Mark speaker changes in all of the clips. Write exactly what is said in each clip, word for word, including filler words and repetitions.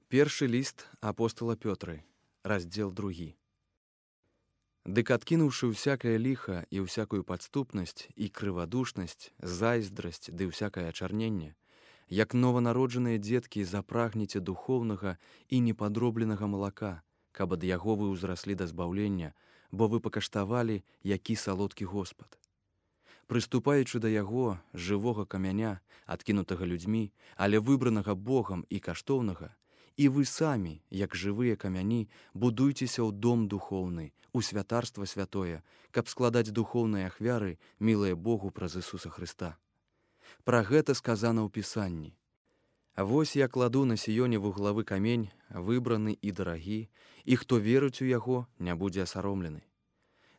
Speaker 1: Першы ліст апостала Пётры, раздзел другі. Дык адкінуўшы ўсякае ліха і ўсякую падступнасць і крывадушнасць, зайздрасць ды ўсякае ачарненне, як нованароджаныя дзеткі запрагніце духоўнага і непадробленага малака, каб ад яго вы ўзраслі да збаўлення, бо вы пакаштавалі, які салодкі Господ. Прыступаючы да яго, жывога камяня, адкінутага людзьмі, але выбранага Богам і каштоўнага, і вы самі, як жывыя камяні, будуйцеся ў дом духоўны, у святарства святое, каб складаць духоўныя ахвяры, мілыя Богу праз Ісуса Хрыста. Пра гэта сказана ў Пісанні. Вось я кладу на Сіёне вуглавы камень, выбраны і дарагі, і хто верыць у яго, не будзе асаромлены.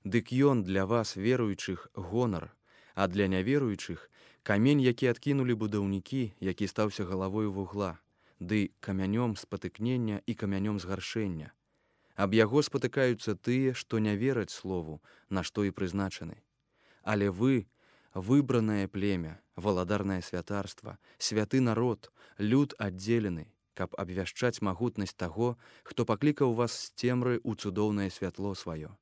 Speaker 1: Дык ён для вас, веруючых, гонар, а для няверуючых камень, які адкінулі будаўнікі, які стаўся галавою вугла, ды камянём спатыкнення і камянём згаршэння. Аб яго спатыкаюцца тыя, што не вераць слову, на што і прызначаны. Але вы, выбранае племя, валадарнае святарства, святы народ, люд аддзелены, каб абвяшчаць магутнасць таго, хто паклікаў вас з цемры ў цудоўнае святло сваё.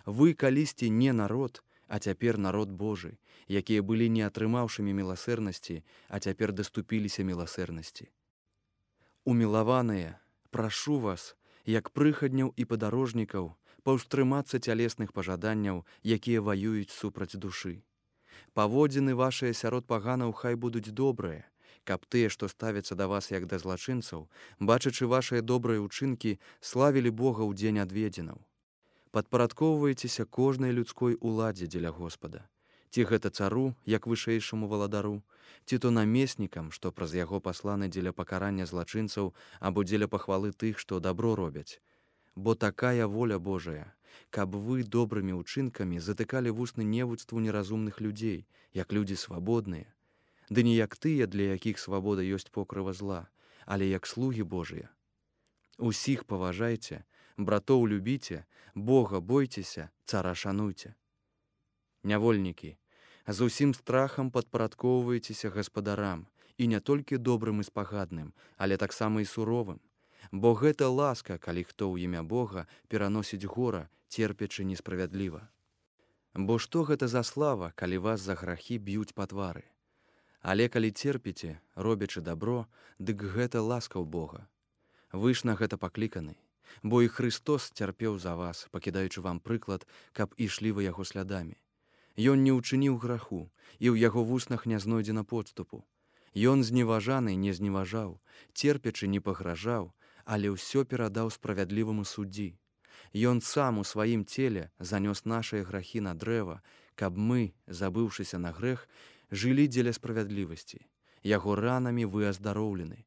Speaker 1: Вы калісьці не народ, а цяпер народ Божы, якія былі не атрымаўшымі міласэрнасці, а цяпер даступіліся міласэрнасці. Умілаваныя, прашу вас, як прыхадняў і падарожнікаў, паўстрымацца цялесных пажаданняў, якія ваююць супраць душы. Паводзіны вашыя сярод паганаў хай будуць добрыя, каб тыя, што ставяцца да вас як да злачынцаў, бачачы вашыя добрыя ўчынкі, славілі Бога ў дзень адведзенаў. Падпарадкоўвайцеся кожнай людской уладзе дзеля Господа. Ці гэта цару, як вышэйшаму валадару, ці то намеснікам, што праз яго пасланы дзеля пакарання злачынцаў або дзеля пахвалы тых, што дабро робяць. Бо такая воля Божая, каб вы добрымі ўчынкамі затыкалі вусны невуцтву неразумных людзей, як людзі свабодныя, ды не як тыя, для якіх свабода ёсць покрыва зла, але як слугі Божыя. Усіх паважайце, братоў любіце, Бога бойцеся, цара шануйце. Нявольнікі, з усім страхам падпарадкоўвайцеся гаспадарам, і не толькі добрым і спагадным, але таксама і суровым, бо гэта ласка, калі хто ў імя Бога пераносіць гора, церпячы несправядліва. Бо што гэта за слава, калі вас за грахі б'юць па твары? Але калі церпіце, робячы дабро, дык гэта ласка ў Бога. Вы ж на гэта пакліканы, бо і Хрыстос цярпеў за вас, пакідаючы вам прыклад, каб ішлі вы яго слядамі. Ён не ўчыніў граху, і ў яго вуснах не знойдзена подступу. Ён зневажаны не зневажаў, церпячы не пагражаў, але ўсё перадаў справядліваму суддзі. Ён сам у сваім целе занёс нашыя грахі на дрэва, каб мы, забыўшыся на грэх, жылі дзеля справядлівасці. Яго ранамі вы аздароўлены.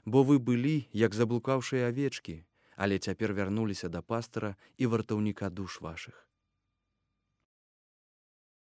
Speaker 1: Бо вы былі, як заблукаўшыя авечкі, але цяпер вярнуліся да пастара і вартаўніка душ вашых.